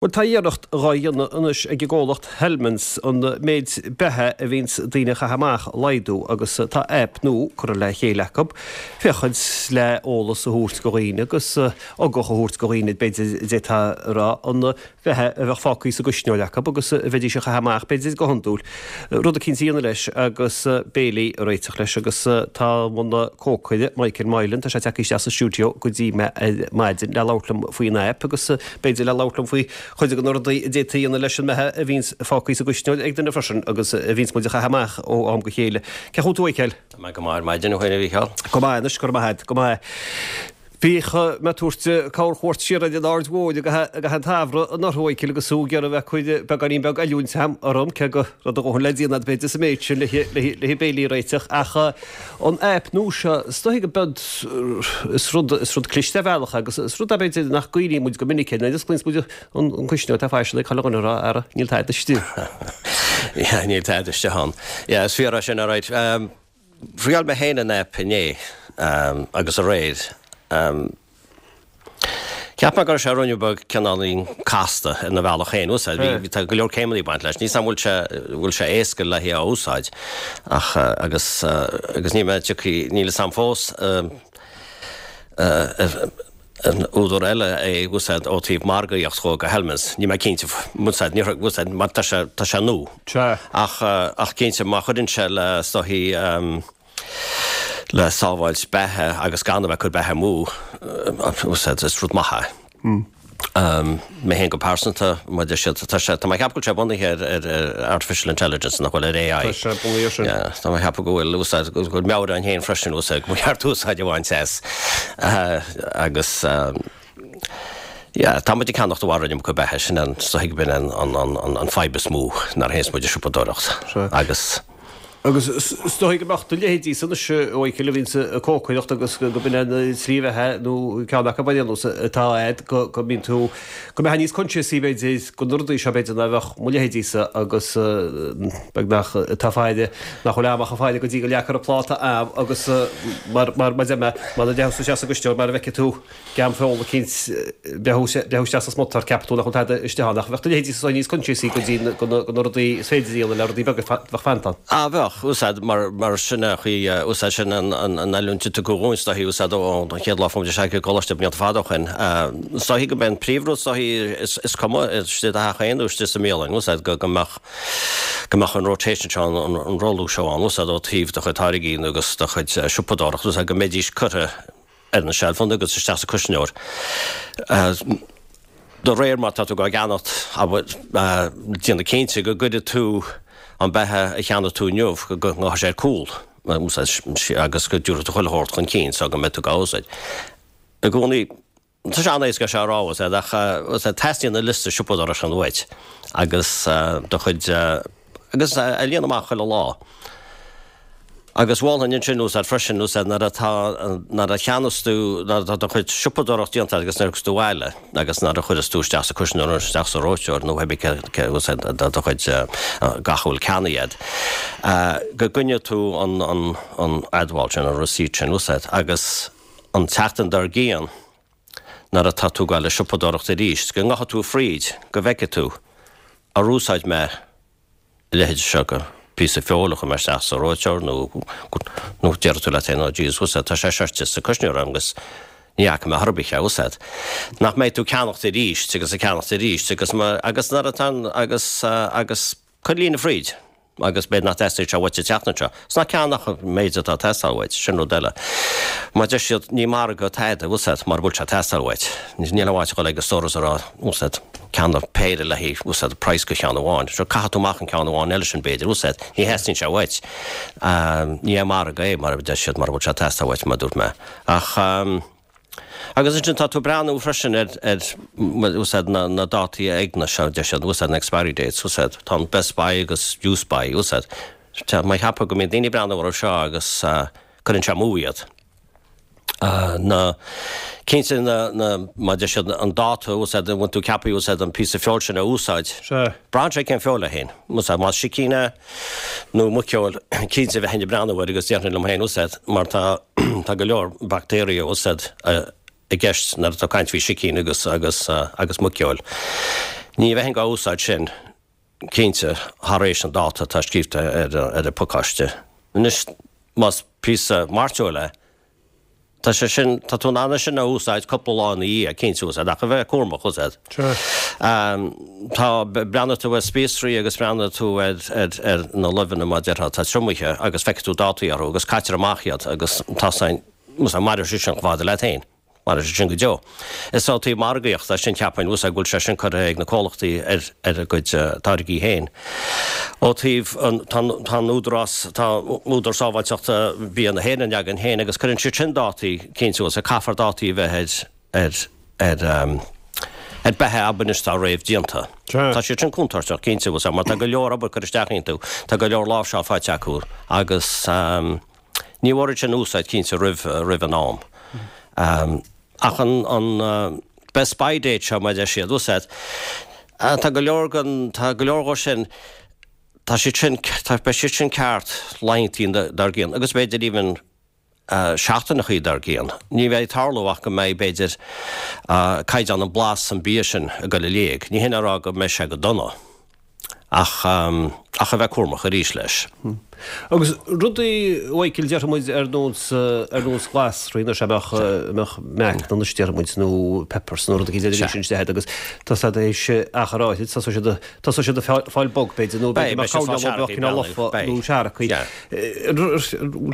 Bhuel, tá iarracht dhá dhéanamh anois ag an gcomhlacht Hellmann's an méid beatha a bhíonns daoine a chaitheamh amach a laghdú agus tá aip nua curtha le chéile acu féachaint le eolas a thabhairt go dhaoine agus ugach a thabhairt go dhaoine, b'fhéidir, d'fhéadfá a rá, an bheatha a bheadh fágtha sa gcuisneoir acu agus a bheidís a chaitheamh amach, b'fhéidir, go hiondúil. Rud eicínt a dhéanamh leis agus béilí a réiteach leis agus tá an cócaire Michael Moylan, tá sé tagtha isteach sa stiúideo go dtí mé ar maidin le labhairt liom faoin aip agus B'fhéidir le labhairt liom faoi chuid de na rudaí a d'fhéadfaí a dhéanamh leis an mbeatha a bhíonns fágtha sa gcuisneoir ag duine freisin agus a bhíonns muid a chaitheamh amach ó am go chéile. Cén chaoi a bhfuil tú, a Mhichael? Tá mé go maith ar maidin, a dhuine, a Mhícheáil. Go maith anois, go raibh maith agat, go maith. Bhíodh mé ag tabhairt corrchuairt siar ar an Aird Mhóir i gcaitheamh an tsamhraidh anuraidh, a Mhichael, agus thú ag iarraidh a bheith ag cur beagáinín beag oiliúint orm, cé go raibh do dhóthain le déanamh agat b'fhéidir sa méid sin le béilí a réiteach ach An aip nua seo, is dóigh go bead, is rud, is rud cliste ar bhealach é agus is rud é b'fhéidir nach gcuimhníonn muid go minic air, nuair a osclaíonns muid an cuisneoir tá faisean ag chuile dhuine a rá, ara, níl tada istigh. Yeah, níl tada istigh ann. Yeah, is fíor é sin, alright. Thriail mé féin an aip inné agus aréir. Cheap mé go raibh sé ruainne beag cineáilín casta ina bhealach féin. Úsáid, bhí, tá go leor céimeanna ag baint leis. Níl 's a'm bhfuil sé, bhfuil sé éasca le é a úsáid ach agus, agus níl mé tiocfaidh, níl 'fhios a'm fós an údar eile é a úsáid ó taobh margaíocht dhó go Hellmann's. Níl mé cinnte, úsáid, ní úsáid, mar tá sé, tá sé nua. Ach, ach cinnte má chuireann sé le, is dóichí, le sábháilt beatha agus gan a bheith ag cur beatha amú, is rud maith é. Mé féin go pearsanta, mar deir siad, tá sé, tá mé ag ceapadh go bhfuil sé bunaithe ar, ar, ar artificial intelligence, nach bhfuil, ar AI. Tá sé bunaithe ar sin. Yeah, tá mé ag ceapadh go bhfuil úsáid, go bhfuil meabhair ann féin freisin, úsáid, go mba cheart úsáid a bhaint as. Agus, yeah, tá muid ag ceannacht i bhfad an iomarca beatha, sin an, is dóigh go b'in an, an, an, an fadhb is mó nuair a théanns muid ag siopadóireacht. Agus. Agus is dóigh go mbeadh do leithéidísa anois, a Mhichíl, a bhíonns ag cócaireacht agus go b'in an tslí bheatha nó ceann acu ar aon nós atá a'd go go mbíonn tú, go mbeifeá níos coinsiasaí b'fhéidir go na rudaí seo b'fhéidir ná bheadh mo leithéidísa agus beagnach atá faire, nach bhfuil am ach ag faire go dtí go leagfar an pláta a'm agus mar mar mar deir mé, mar a déarfá isteach sa gcuisneoir mar a bhfeicfidh tú. Geam feola eicínt, breathú isteach sa smuta ceapfaidh tú nach bhfuil tada istigh ann, ach bheadh do leithéidí is níos coinsiasaí go dtí go na rudaí is féidir a dhéanamh le rudaí beaga a bheadh fanta ann. Ah bheadh, úsáid, mar mar sin a chaoi, úsáid sin an an oiliúint a tugadh dhúinn is dóichí, úsáid ón chéad lá a fuair muid isteach i gcoláiste blianta fada ó shin. Is dóichí go mbeidh an príomhrud is dóichí is is cuma istigh i do theach féin nó istigh sa mbialann, úsáid go go mbeadh go mbeadh an rotation seo an an rothlú seo ann, úsáid ó taobh do chuid táirgí nó agus do chuid siopadóireacht, úsáid go mbeidís curtha ar na seilfeanna agus isteach sa cuisneoir. De réir mar tá tú á gceannacht, déanamh cinnte go gcuirfidh tú an beatha a cheannaigh tú inniu, go ngabhfaidh sé ar cúl agus go dtabharfaidh tú chuile shórt chun cinn so go mbeidh tú á úsáid. I gcónaí, tá sé an-éasca é seo a rá, ach teastaíonn an liosta siopadóireachta sin uait agus do chuid, agus a líonadh amach chuile lá. Agus mholfainn ansin úsáid freisin, úsáid nuair atá, nuair a cheannas tú, nuair atá do chuid siopadóireacht déanta agat agus nuair a thiocfas tú abhaile agus nuair a chuireas tú isteach sa cuisneoir nó isteach sa reoiteoir nó pé cé úsáid do chuid gach a bhfuil ceannaithe agat, go gcoinneoidh tú an, an, an admháil sin, an receipt sin, úsáid agus an tseachtain dár gcionn nuair atá tú ag gabháil ag siopadóireacht arís, go ngabhfaidh tú fríd, go bhfeicfidh tú, ar úsáid mé a leithéid seo de phíosa feoil a chuir mé isteach sa reoiteoir nó nó déarfaidh tú leat féin, oh Jesus, úsáid, tá sé seo sa cuisneoir agam agus ní fhaca mé chor ar bith é a úsáid. Nach mbeidh tú ag ceannacht arís agus ag ceannacht arís agus agus nuair atá an agus agus cuir líne fríd agus b'fhéidir nach dteastaíonn sé uait an tseachtain seo. Is ná ceannaigh an méid atá ag teastáil uait, sin rud eile. Mar deir siad, ní margadh tada, úsáid, mura bhfuil sé ag teastáil uait. Níl aon mhaith a dhul ag an stóras a rá, úsáid. Ceannaigh péire le haghaidh úsáid praghas go cheann amháin. Sure, caithfidh tú amach an ceann amháin eile sin b'fhéidir, úsáid. Ní theastaíonn sé uait. Ní hé margadh é, mar a deir siad, mura bhfuil sé ag teastáil uait, mar a dúirt mé. Ach, agus ansin tá tú ag breathnú freisin ar, ar, úsáid na, na dátaí éagna seo, deir siad, úsáid na expiry dates, úsáid. Tá an best by agus use by, úsáid. Tá mé ag ceapadh go mbíonn daoine ag breathnú orthu seo agus cuireann sé amú iad. na, cinnte na, na, mar deir siad, an dáta a úsáid, an bhfuil tú ceaptha úsáid an píosa feoil sin a úsáid. Sea. Braitheann sé cén feoil é féin. Úsáid, más sicín é nó muiceoil, cinnte bheinn ag breathnú air agus déarfainn liom féin úsáid mar tá, tá go leor baictéirí a úsáid i gceist nuair atá caint faoi sicín agus, agus, agus muiceoil. Ní bheinn á úsáid sin, cinnte, thar éis an dáta atá scríobhta ar an bpacáiste. Anois, más píosa mairteoil é, tá sé sin, tá tú in ann é sin a úsáid cúpla lá ina dhiaidh, cinnte, úsáid, ach a bheith cúramach, úsáid. Tá, breathnaigh tú ar spíosraí agus breathnaigh tú ar, ar, ar na luibheanna mar déarfá atá triomaithe agus feicfidh tú dátaí orthu agus caitear amach iad agus tá san, mairfidh siad sin chomh fada leat féin. Mairfidh siad sin go deo. Is ó taobh margaíochta sin cheapfainn bhfuil go bhfuil sé sin curtha ag na comhlachtaí ar ar a gcuid táirgí féin. Ó taobh an tá tá an Údarás tá Údarás Sábháilteachta Bia na hÉireann againn féin agus cuireann siad sin dátaí cinnte bhfuil caithfear dátaí a bheith ar ar ar ar beatha abair anois atá réamhdhéanta. Tá siad sin contúirteach cinnte bhfuil mar tá go leor obair curtha isteach iontu, tá go leor láimhseáil faighte acu agus Ní mhór iad sin a úsáid cinnte roimh roimh an am. Ach an an best by date seo mar a deir siad, úsáid, tá go leor den tá go leor dhó sin tá siad sin tá beidh siad sin ceart laethantaí dár gcionn agus b'fhéidir even seachtaineachaí dár gcionn. Ní bheidh ag tarlú ach go mbeidh b'fhéidir caighdeán an blas an bia sin ag dul i léig. Ní hin a rá go mbeidh sé go dona. Ach, ach a bheith cúramach arís leis. Agus rudaí, a Mhichael, déarfaidh muid ar nós, ar nós glasraí anois, a mbeadh, a mbeadh meacan anois déarfaidh muid, nó peppers nó rud éicint eile sin isteach agus tá siad théis achar áithrid, tosóidh siad, tosóidh siad ag fáil bog b'fhéidir nó b'fhéidir go mbeadh coirnéal nó beadh cineál lofa nó seargtha.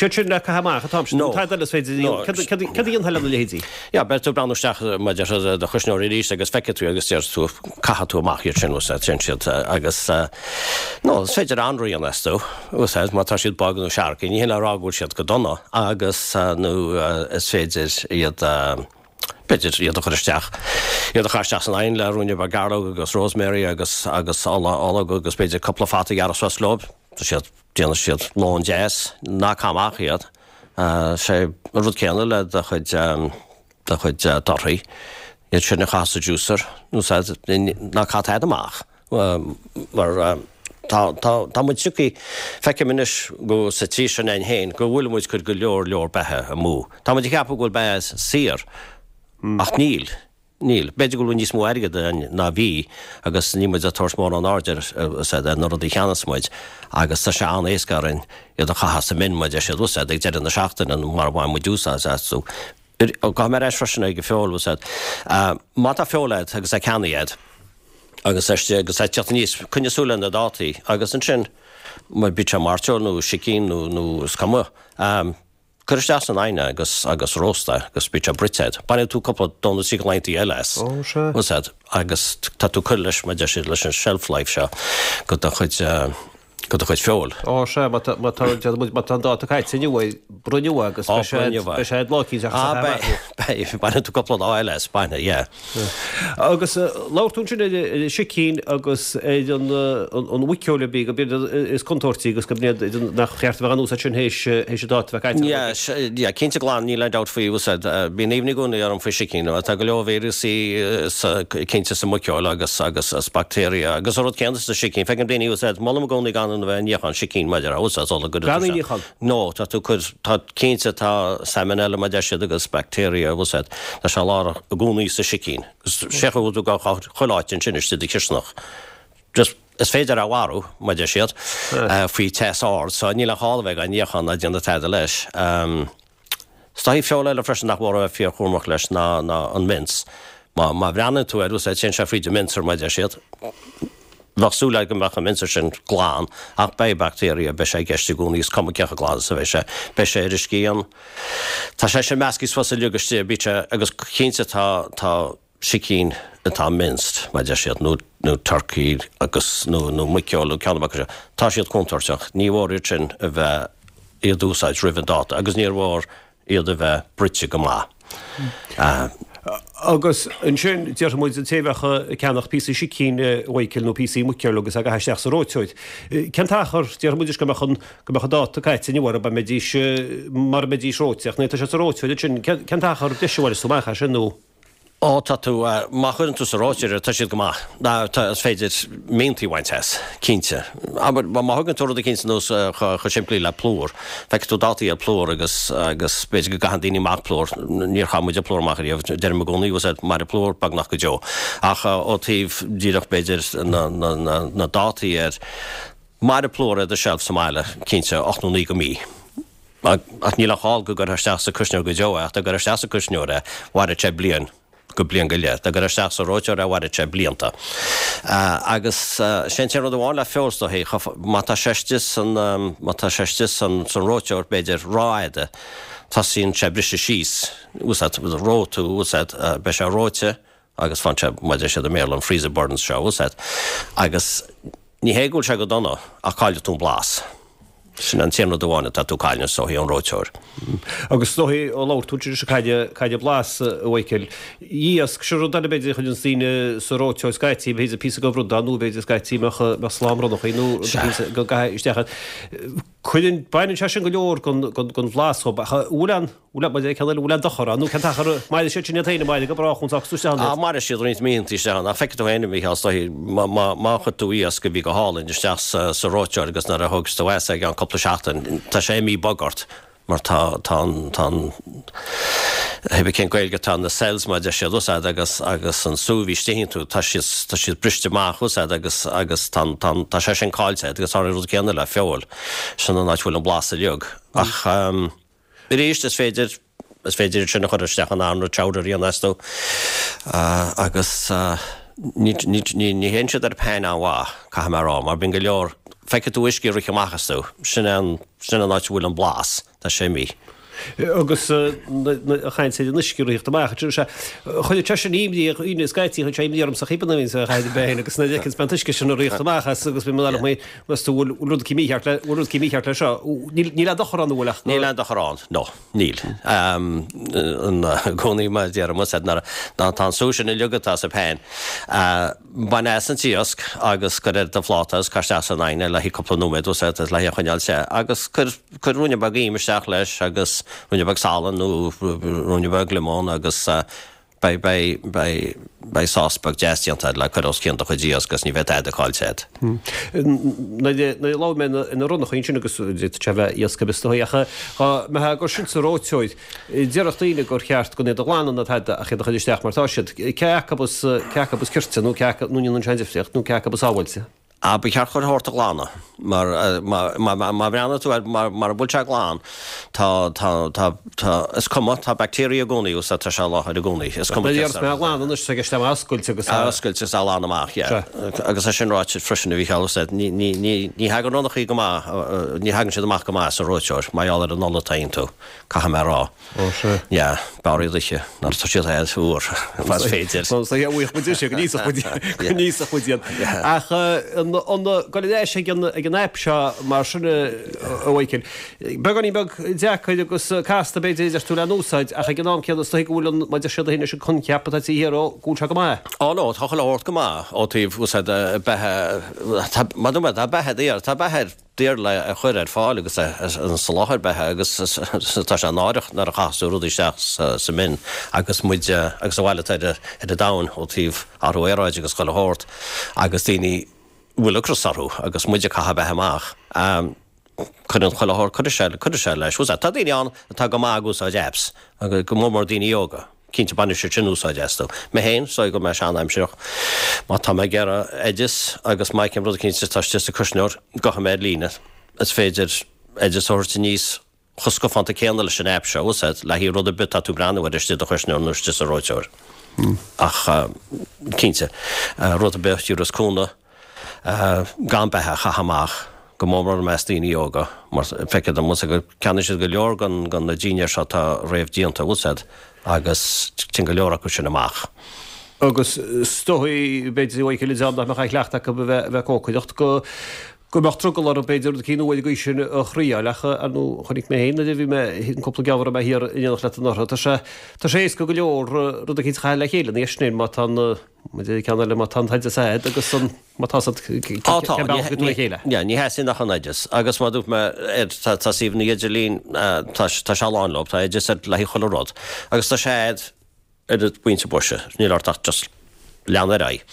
Siad sin le caitheamh amach an t-am sin, nó tada eile is féidir, céard a dhéanfá lena leithéidí? Yeah, beidh tú ag breathnú isteach mar a déarfá i do chuisneoir arís agus feicfidh tú agus déarfaidh tú, caithfidh tú amach iad sin, úsáid, téann siad agus nó is féidir anraith a dhéanamh astu, úsáid, má tá siad bog nó seargtha, ní hin le rá go bhfuil siad go dona agus nó is féidir iad, b'fhéidir iad a chur isteach, iad a chur isteach san oigheann le ruainne beag gairleog agus rosemary agus agus ola ológ agus b'fhéidir cúpla fata a ghearradh suas leo, tá siad. Déanfaidh siad lón deas, ná caith amach iad. Sé an rud céanna le do chuid, do chuid torthaí, iad sin a chaitheamh sa juicer, úsáid, ná caith tada amach mar tá, tá, tá muid tiocfaidh, feicim anois go sa tír seo againn féin go bhfuil muid ag cur go leor, leor beatha amú. Tá muid ag ceapadh go bhfuil beatha saor ach níl. Níl. B'fhéidir go bhfuil níos mó airgead againn ná bhí agus níl muid ag tabhairt mórán airde ar na rudaí a cheannas muid agus tá sé an-éasca orainn iad a chaitheamh sa mbin mar a deir siad úsáid ag deireadh na seachtaine nó mara bhfaigheann muid úsáid astu. Gabhfaidh mé ar ais freisin ag an feoil úsáid. Má tá feoil agat agus é ceannaithe agat agus é agus é ag teacht aníos, coinnigh súil ar na dátaí agus ansin má bíodh sé mairteoil nó sicín nó nó is cuma. Cuir isteach san oigheann é agus agus róst é agus bíonn sé bruite agat. Bainfidh tú cúpla dó nó trí de laethantaí eile as. Ó, sea. Úsáid agus tá tú ag cur leis, mar a deir siad, leis an shelf life seo go do chuid, go do chuid feoil. Ó, sea, má tá, má tá, déarfaidh muid, má tá an dáta caite inniu air, bruith inniu é agus Ó, beidh sé, bruith inniu é. beidh sé lá eicínt ach Ah, beidh, beidh, bainfidh tú cúpla lá eile as, bainfidh, yeah. Agus labhair tú ansin ar an sicín agus ar an mhuiceoil a bhí go b'fhéidir is contúirtí agus go mb'fhéidir nach cheart a bheith á n-úsáid sin théis an dáta a bheith caite. Yeah, cinnte glan, níl aon dabht faoi úsáid. Bíonn imní i gcónaí orm faoi sicín. Tá go leor víreasaí cinnte sa muiceoil agus agus is bacteria agus an rud céanna sa sicín. Feicim daoine úsáid, molaim i gcónaí gan a bheith ag níochán sicín maidir le úsáid sula gcuireann Gan í níochán? No, tá tú cur, tá, cinnte tá salmonella mar a deir siad agus bacteria úsáid, tá sé lárnach i gcónaí sa sicín. Agus sé chaoi tú go chuile áit ansin istigh i do chisteanach. Just, is féidir é a mharú, mar a deir siad, faoi teas ard, so níl aon chall a bheith á níochán ná déanamh tada leis. Is dóigh feoil eile freisin nach mór a bheith fíorchúramach leis ná, ná an mince. Má, má bhreathnaíonn tú air, úsáid, téann sé fríd an mincer mar a deir siad. Bheadh súil agat go mbeadh an mincer sin glan, ach beidh baictéirí, beidh sé i gceist i gcónaí, is cuma cé chomh glan is a bheidh sé, beidh sé ar an scian. Tá sé sin measctha suas uilig istigh, bíonn sé, agus cinnte tá, tá sicín atá minced, mar a deir siad, nó, nó turkey agus, nó, nó muiceoil nó ceann acu seo, tá siad contúirteach. Ní mhór iad sin a bheith, iad a úsáid roimh an dáta agus níor mhór iad a bheith bruite go maith. Agus ansin, déarfaidh muid, an té a bheadh ag ceannach píosaí sicín, a Mhichael, nó píosaí muiceoil agus á gcaitheamh isteach sa reoiteoir. Cén t-achar, déarfaidh muid, go mbeadh an, go mbeadh an dáta caite inniu orthu, an mbeidís, mara mbeidís reoite, ach nuair atá siad sa reoiteoir ansin, cén t-achar deis a bhainfeas tú amach as sin nó? Ó, tá tú, má chuireann tú sa reoiteoir iad, tá siad go maith. Tá, is féidir miantaí a bhaint as, cinnte. Abair, má thugann tú rud eicínt anuas chomh simplí le plúr, feicfidh tú dátaí ar plúr agus, agus b'fhéidir go gcaitheann daoine amach plúr, níor chaith muide plúr amach ariamh, deirim i gcónaí, bhfuil mairfidh plúr beagnach go deo. Ach ó taobh díreach b'fhéidir na, na, na, na dátaí air, mairfidh plúr ar do shelf sa mbaile, cinnte, 8 nó 9 go mí. Ach níl aon chall go gcuirfeá isteach sa cuisneoir go deo é, ach dá gcuirfeá isteach sa cuisneoir é, mhairfeadh sé bliain go bliain go leith. Dá gcuirfeá isteach sa reoiteoir é, mhairfeadh sé blianta. Agus sé an t-aon rud amháin le feoil is dóichí, má tá sé istigh san, má tá sé istigh san, san reoiteoir, b'fhéidir, rófhada, tosaíonn sé ag briseadh síos, úsáid, reofaidh tú, úsáid, beidh sé reoite, agus faigheann sé, mar a deir siad i mBéarla, an freezer burns seo, úsáid, agus ní hé go bhfuil sé go dona, ach caillfidh tú an blas. Sin an t-aon rud amháin atá tú cailleadh is dóichí ón reoiteoir. Agus is dóichí, ó labhair tú ansin cailleadh, cailleadh blas, a Mhichael. Iasc, sin rud eile b'fhéidir a chuireanns daoine sa reoiteoir scaití, b'fhéidir píosa de rud ann nó b'fhéidir scaití mbeadh, mbeadh slám ronnachaí nó rud éicint go gcaithfí isteach iad. Cuireann, baineann sé sin go leor den, den, den bhlas dhób ach an bhfuil aon, bhfuil aon, maidir le ceann eile, bhfuil aon dochar ann nó cén t-achar a mairfidh siad sin iad féin, an mairfidh go brách ón tráth isteach ann iad? Á, mairfidh siad roinnt míontaí isteach ann ach feicfidh tú féin, a Mhícheál, is dóichí, má, má, má chuir tú iasc a bhí go hálainn isteach sa, sa reoiteoir agus nuair a thóg tú as é i gceann cúpla seachtain, tá sé imithe bog ort. mar tá, tá an, tá an, hé bith cén Gaeilge atá na cells mar a deir siad, úsáid agus, agus an sú a bhí istigh iontu, tá siad, tá siad briste amach, úsáid agus, agus tá an, tá an, tá sé sin caillte agus tá an rud céanna le feoil, sin an áit a bhfuil an blas uilig. Ach arís is féidir, is féidir iad sin a chur isteach in anraith chowder a dhéanamh astu agus ní, ní, ní, ní théann siad ar pan an-mhaith, caithfidh mé a rá, mar bíonn go leor, feicfidh tú uisce ag rith amach astu, sin é an, Sin an áit a bhfuil an blas, tá sé imithe. Agus ag caint ar an uisce ag ritheacht amach, sea, chuireadh sé sin imní ar dhaoine scaití, chuir sé imní ormsa cibé nuair a bhíonns á chaith féin agus nuair a fheiceanns mé an t-uisce sin ag ritheacht amach as agus bíonn mé ag meas tú bhfuil rud eicínt mícheart le, bhfuil rud eicínt mícheart le seo. Níl aon dochar ann an bhfuil ach go. Níl aon dochar ann, no, níl. I gcónaí mar a deirim, nuair tá an sú sin uilig atá sa pan, Bain as an t-iasc agus cuir ar do phláta agus caith isteach san oigheann é le haghaidh cúpla nóiméad is le haghaidh a choinneáil te agus cuir cuir ruainne beag im isteach leis agus ruainne beag salainn nó ruainne beag liomóin agus beidh beidh beidh beidh sás beag deas déanta agat le cur os cionn do chuid iasc agus ní bheidh tada caillte agat. Nuair a labhair mé ina ronnachaí ansin agus d'fhéadfadh sé a bheith iasc ar bith is dóigh ach dá mbeifeá ag cur sin sa reoiteoir Déarfadh daoine gur cheart gan iad a ghlanadh ná tada ach iad a chur isteach mar tá siad. Cé acu is, cé acu is cirte nó cé acu, nó an ndéanann sé aon difríocht, nó cé acu is sábháilte? Ah, ba cheart chuile shórt a ghlanadh mar, má, má, má bhreathnaíonn tú air, mar, mara bhfuil sé glan, tá, tá, tá, tá, is cuma, tá bacteria i gcónaí, úsáid, tá sé i láthair i gcónaí, is cuma cé Tá a ghlanadh anois, tá i gceist é a oscailt agus a. A oscailt agus a ghlanadh amach, yeah. Sea. Agus é sin ráite freisin a Mhícheáil, úsáid, ní, ní, ní, ní thagann ronnachaí go maith, ní thagann siad amach go maith sa reoiteoir, mar gheall ar an ola atá iontu. Caithfidh mé a rá. Ó, sea. Yeah, b'fhearr iad a ithe nuair atá siad air úr, más féidir. Well, so yeah, bhuíoch muid sé, go n-íosfadh muid, go n-íosfadh muid iad. Ach an, an, gabháil ar ais ag an, ag an aip seo mar sin, a Mhichael, beagáinín beag deacair agus casta b'fhéidir a deir tú le n-úsáid, ach ag an am céanna is dóigh go bhfuil an, mar a deir siad féin leis an coincheap atá taobh thiar dhó, go bhfuil sé go maith. Ó no, tá chuile shórt go maith ó taobh úsáid beatha, tá, mar a dúirt mé, tá beatha daor, tá beatha ar, daor le a chur ar fáil agus an soláthar beatha agus tá sé náireach nuair a chaitheas tú rudaí isteach sa mbin agus muid agus an bhail atá ar an domhan ó taobh athrú aeráide agus chuile shórt agus daoine a bhfuil ocras orthu agus muid ag caitheamh beatha amach. Cuireann chuile shórt, cuirfidh sé, cuirfidh sé leis. Tá daoine ann atá go maith ag úsáid apps, go mór mór daoine óga. Cinnte, baineann siad sin úsáid astu. Mé féin, is dóigh go bhfuil mé sean-aimsireach. Má tá mé ag iarraidh oideas agus má fheicim rud eicínt atá istigh sa cuisneoir, gabhfaidh mé ar líne. Is féidir oideas a thabhairt aníos chomh scafánta céanna leis an aip seo a úsáid le haghaidh rud ar bith atá tú ag breathnú air istigh i do chuisneoir nó istigh sa reoiteoir. Ach, cinnte, rud ar bith a thiúrfas cúnamh, gan beatha a chaitheamh amach, go mór mór i measc daoine óga, mar feictear domsa go gceannaíonn siad go leor den na dinnéir seo atá réamhdhéanta, bhfuil 's a'd, agus téann go leor acu sin amach. Agus is dóigh, b'fhéidir, a Mhichíl, an dream nach mbeadh aon chleachtadh acu a bheith ag cócaireacht, go go mbeadh drogall orthu b'fhéidir rud eicínt nua ar an gcaoi sin a thriáil, ach ar ndóigh chonaic mé féin nuair a bhí mé an cúpla geimhreadh a raibh mé thiar in éineacht leat anuraidh, tá sé tá sé éasca go leor rud eicínt a chaitheamh le chéile ina dhiaidh sin má tá an Maidir le ceann eile, má tá an t-oideas a'd agus an, má tá 's a'd cén bealach a gcuir tú le chéile. Yeah, ní theastaíonn ach an oideas. Agus mar a dúirt mé, tá, tá suíomhanna idirlín, tá, tá sé lán leo, tá oideas ar le haghaidh chuile rud. Agus tá sé a'd. ar an bpointe boise, níl ort ach just lean ar aghaidh.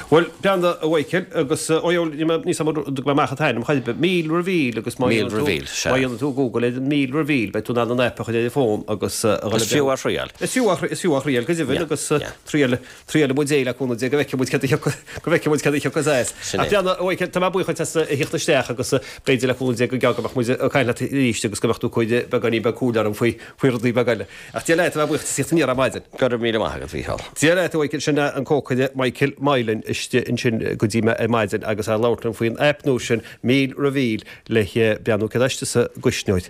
Bhuel, breathnaigh a Mhichael, agus ó níl a fhios agam an dtug mé amach an t-ainm chor ar bith, Meal Reveal agus má dhéanann tú, má dhéanann tú Google ar an Meal Reveal beidh tú in ann an aip a chur ar an bhfón agus a dhul Is fiú a thriail. Is fiú a, is fiú a thriail go deimhin agus triail, triailfidh muid é le cúnamh Dé go bhfeicfidh muid cad a thiocfas, go bhfeicfidh muid cad a thiocfas as. Sin é. Ach breathnaigh a Mhichael, tá mé buíoch duit as a thíocht isteach agus b'fhéidir le cúnamh Dé go gearr go mbeadh muid ag caint leat arís agus go mbeadh tú ag cur beagáinín beag comhairle orm faoi, faoi rudaí beaga eile. Ach Dia leat, tá mé buíoch as a thíocht aniar ar maidin. Go raibh míle maith agat, Mhícheál. Dia leat, a Mhichael, sin é an cócaire Michael Moylan istigh ansin go dtí mé ar maidin agus é ag labhairt liom faoin aip nua sin, Meal Reveal, le breathnú céard atá istigh sa gcuisneoir.